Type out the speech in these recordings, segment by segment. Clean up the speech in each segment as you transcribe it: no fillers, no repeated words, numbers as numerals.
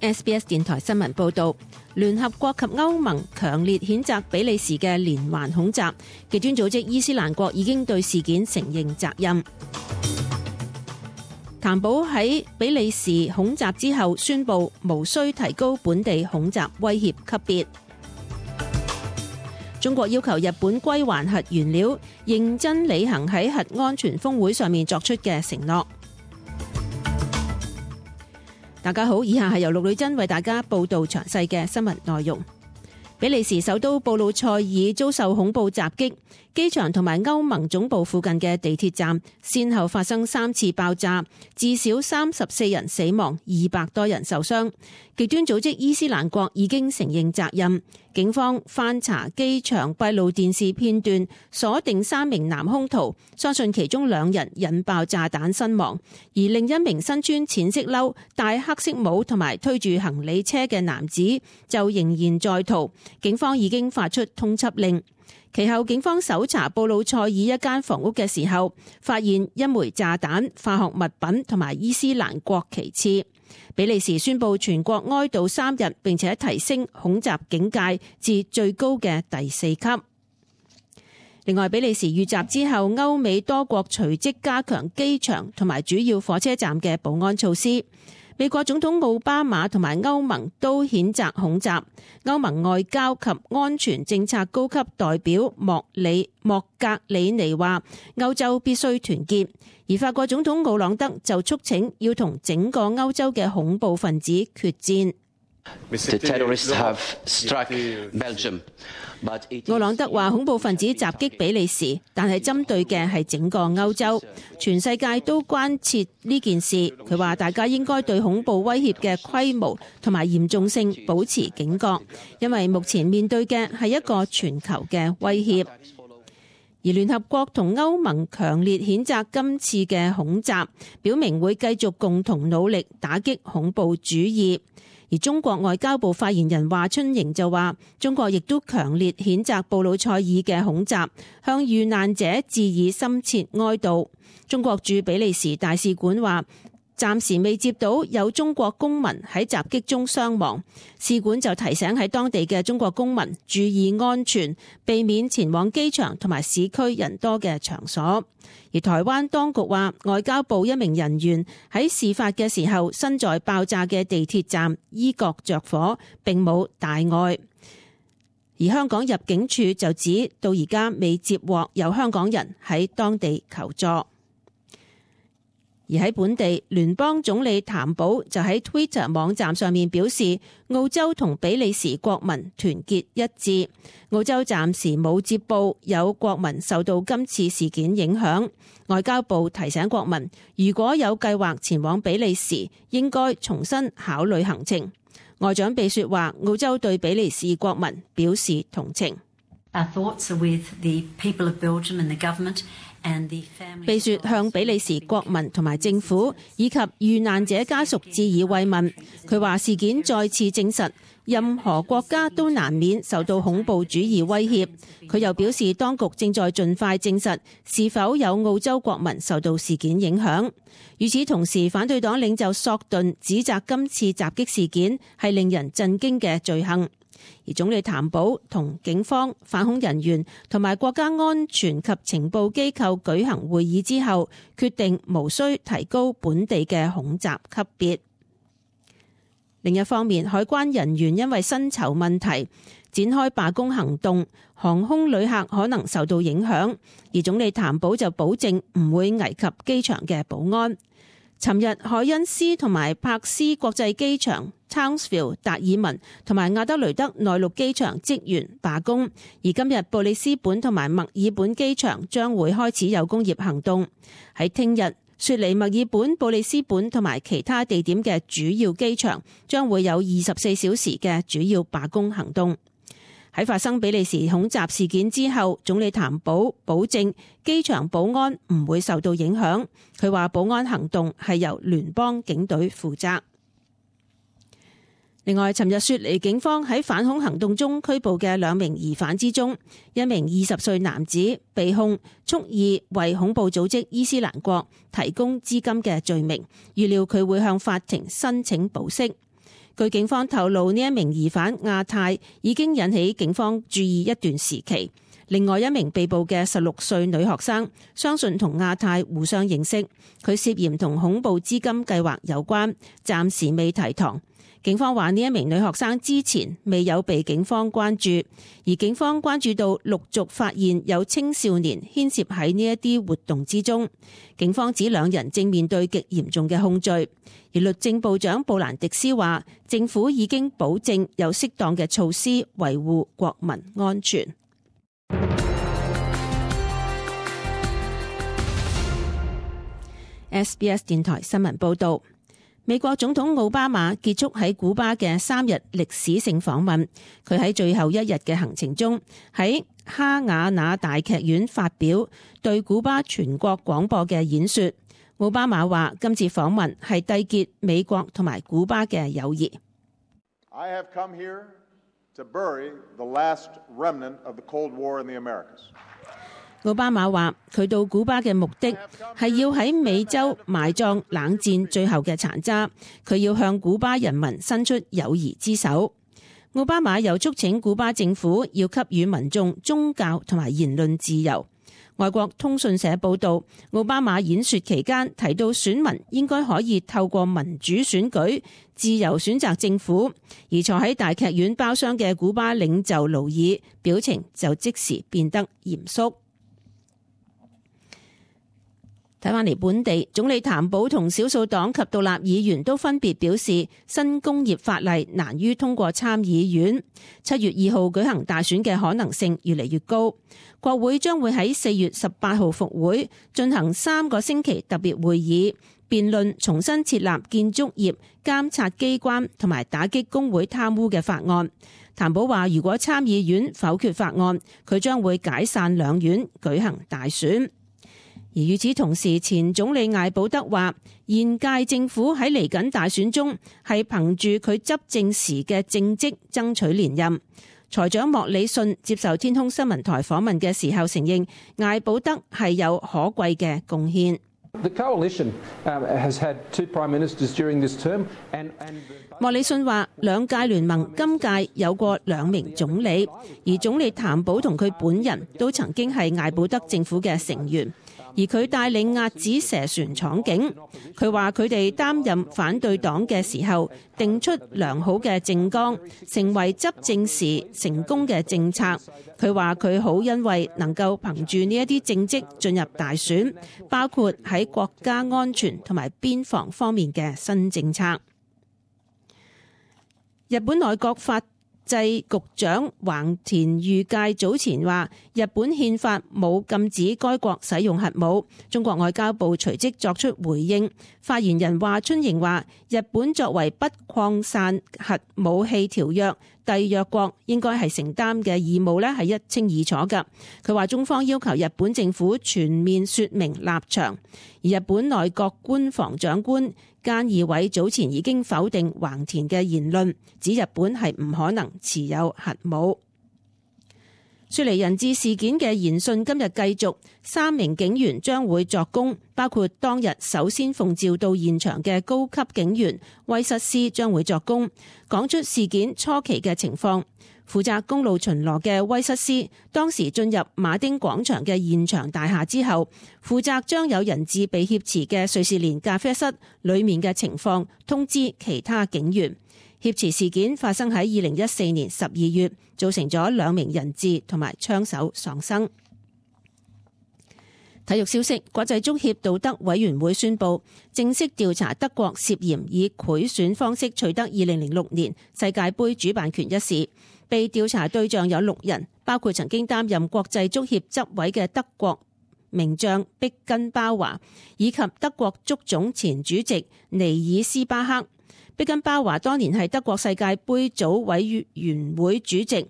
SBS 電台新聞報道，聯合國及歐盟強烈譴責比利時嘅連環恐襲，極端組織伊斯蘭國已經對事件承認責任。譚寶喺比利時恐襲之後宣布無需提高本地恐襲威脅級別。中國要求日本歸還核原料，認真履行喺核安全峰會上面作出嘅承諾。大家好，以下係由陸女真為大家報道詳細嘅新聞內容。比利時首都布魯塞爾遭受恐怖襲擊，機場同埋歐盟總部附近嘅地鐵站先後發生3次爆炸，至少34人死亡，200多人受傷。極端組織伊斯蘭國已經承認責任。警方翻查機場閉路電視片段，鎖定3名男兇徒，相信其中2人引爆炸彈身亡，而另一名身穿淺色褸、戴黑色帽同埋推住行李車嘅男子就仍然在逃。警方已經發出通緝令。其後警方搜查布魯塞爾一間房屋嘅時候，發現一枚炸彈、化學物品同埋伊斯蘭國旗幟。比利時宣布全國哀悼3日，並且提升恐襲警戒至最高嘅第4級。另外，比利時遇襲之後，歐美多國隨即加強機場同埋主要火車站嘅保安措施。美國總統奧巴馬同埋歐盟都譴責恐襲。歐盟外交及安全政策高級代表莫格里尼話：歐洲必須團結。而法國總統奧朗德就促請要同整個歐洲嘅恐怖分子決戰。奧朗德話：恐怖分子襲擊比利時，但係針對嘅係整個歐洲，全世界都關切呢件事。佢話大家應該對恐怖威脅嘅規模同埋嚴重性保持警覺，因為目前面對嘅係一個全球嘅威脅。而聯合國同歐盟強烈譴責今次嘅恐襲，表明會繼續共同努力打擊恐怖主義。而中國外交部發言人華春瑩就話，中國亦都強烈譴責布魯塞爾嘅恐襲，向遇難者致以深切哀悼。中國駐比利時大使館話，暫時未接到有中國公民喺襲擊中傷亡，使館就提醒喺當地嘅中國公民注意安全，避免前往機場同埋市區人多嘅場所。而台灣當局話，外交部一名人員喺事發嘅時候身在爆炸嘅地鐵站，衣角着火，並冇大礙。而香港入境處就指，到而家未接獲有香港人喺當地求助。而喺本地，聯邦總理譚寶就喺 Twitter 網站上面表示，澳洲同比利時國民團結一致。澳洲暫時冇接報有國民受到今次事件影響。外交部提醒國民，如果有計劃前往比利時，應該重新考慮行程。外長秘書話，澳洲對比利時國民表示同情。秘書向比利時國民同埋政府以及遇難者家屬致以慰問。佢話事件再次證實，任何國家都難免受到恐怖主義威脅。佢又表示，當局正在盡快證實是否有澳洲國民受到事件影響。與此同時，反對黨領袖索頓指責今次襲擊事件係令人震驚嘅罪行。而總理譚寶同警方、反恐人員同埋國家安全及情報機構舉行會議之後，決定無需提高本地嘅恐襲級別。另一方面，海關人員因為薪酬問題展開罷工行動，航空旅客可能受到影響。而總理譚寶就保證唔會危及機場嘅保安。尋日，海恩斯同埋柏斯國際機場、Townsville、達爾文同埋亞德雷德內陸機場職員罷工，而今日布里斯本同埋墨爾本機場將會開始有工業行動。喺聽日，雪梨、墨爾本、布里斯本同埋其他地點嘅主要機場將會有24小時嘅主要罷工行動。喺發生比利時恐襲事件之後，總理譚寶保證機場保安唔會受到影響。佢話保安行動係由聯邦警隊負責。另外，尋日雪梨警方喺反恐行動中拘捕嘅2名疑犯之中，一名20歲男子被控蓄意為恐怖組織伊斯蘭國提供資金嘅罪名，預料佢會向法庭申請保釋。據警方透露，呢一名疑犯亞太已經引起警方注意一段時期。另外一名被捕嘅16歲女學生，相信同亞太互相認識，佢涉嫌同恐怖資金計劃有關，暫時未提堂。警方話呢一名女學生之前未有被警方關注，而警方關注到陸續發現有青少年牽涉喺呢一啲活動之中。警方指兩人正面對極嚴重嘅控罪，而律政部長布蘭迪斯話，政府已經保證有適當嘅措施維護國民安全。SBS 電台新聞報道。美國總統奧巴馬結束喺古巴嘅3日歷史性訪問，佢喺最後一日嘅行程中，喺哈瓦那大劇院發表對古巴全國廣播嘅演說。奧巴馬話今次訪問係締結美國同埋古巴嘅友誼。I have come here to bury the last remnant of the Cold War in the Americas. 奧巴馬話佢到古巴嘅目的係要喺美洲埋葬冷戰最後嘅殘渣，佢要向古巴人民伸出友誼之手。奧巴馬又促請古巴政府要給予民眾宗教同埋言論自由。外國通訊社報道，奧巴馬演說期間提到選民應該可以透過民主選舉自由選擇政府，而坐喺大劇院包廂嘅古巴領袖勞爾表情就即時變得嚴肅。睇返嚟本地，總理譚寶同少數黨及獨立議員都分別表示，新工業法例難於通過參議院。7月2號舉行大選嘅可能性越嚟越高。國會將會喺4月18號復會，進行3個星期特別會議，辯論重新設立建築業監察機關同埋打擊工會貪污嘅法案。譚寶話，如果參議院否決法案，佢將會解散兩院舉行大選。而與此同時，前總理艾保德話，現屆政府喺嚟緊大選中係憑住佢執政時嘅政績爭取連任。財長莫里遜接受天空新聞台訪問嘅時候承認，艾保德係有可貴嘅貢獻。莫里遜話，兩屆聯盟今屆有過2名總理，而總理譚寶同佢本人都曾經係艾保德政府嘅成員。而佢帶領壓止蛇船闖境，佢話佢哋擔任反對黨嘅時候，定出良好嘅政綱，成為執政時成功嘅政策。佢話佢好欣慰能夠憑住呢一啲政績進入大選，包括喺國家安全同埋邊防方面嘅新政策。日本內閣法制局長橫田裕介早前話，日本憲法冇禁止該國使用核武。中國外交部隨即作出回應，發言人華春瑩話，日本作為不擴散核武器條約締約國，應該係承擔嘅義務係一清二楚㗎。佢話中方要求日本政府全面說明立場，而日本內閣官房長官菅義偉早前已經否定橫田嘅言論，指日本係唔可能持有核武。雪梨人質事件嘅研訊今日繼續，3名警員將會作供，包括當日首先奉召到現場嘅高級警員威瑟斯將會作供，講出事件初期嘅情況。負責公路巡邏嘅威瑟斯當時進入馬丁廣場嘅現場大廈之後，負責將有人質被挾持嘅瑞士蓮咖啡室裏面嘅情況通知其他警員。挾持事件發生喺2014年12月，造成咗2名人質同埋槍手喪生。體育消息，國際足協道德委員會宣布正式調查德國涉嫌以賄選方式取得2006年世界盃主辦權一事。被調查對象有6人，包括曾經擔任國際足協執委嘅德國名將碧根包華，以及德國足總前主席尼爾斯巴克。碧根包華當年係德國世界盃組委員會主席。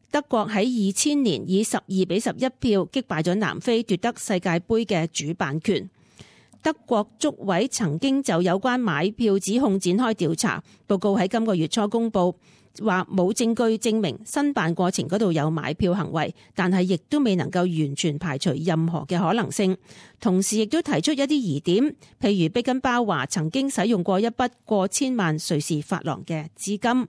德國喺2000年以12-11票擊敗咗南非，奪得世界盃嘅主辦權。德國足委曾經就有關買票指控展開調查，報告喺今個月初公佈。話冇證據證明申辦過程嗰度有買票行為，但係亦都未能夠完全排除任何嘅可能性。同時亦都提出一啲疑點，譬如碧根包話曾經使用過一筆過千萬瑞士法郎嘅資金。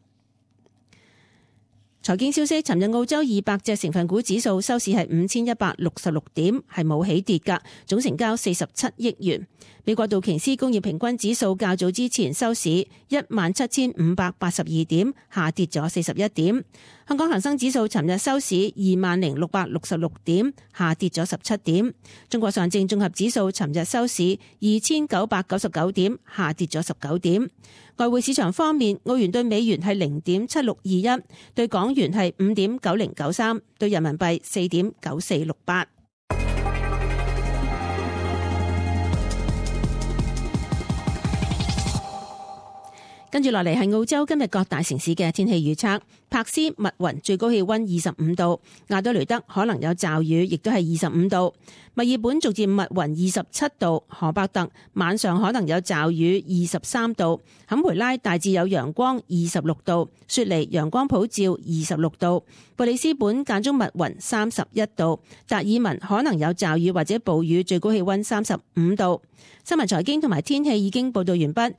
財經消息，尋日澳洲200隻成分股指數收市係5166點，係冇起跌㗎，總成交47億元。美國道瓊斯工業平均指數較早之前收市17582點，下跌咗41點。香港恒生指數尋日收市20666點，下跌咗17點。中國上證綜合指數尋日收市2999點，下跌咗19點。外匯市場方面，澳元對美元係0.7621，對港元係5.9093，對人民幣4.9468。跟住落嚟係澳洲今日各大城市嘅天氣預測。珀斯密雲最高氣溫25度，亞德雷德可能有驟雨，亦都係25度。墨爾本逐漸密雲27度，荷伯特晚上可能有驟雨23度，坎培拉大致有陽光26度，雪梨陽光普照26度，布里斯本間中密雲31度，達爾文可能有驟雨或者暴雨，最高氣溫35度。新聞財經同埋天氣已經報道完畢。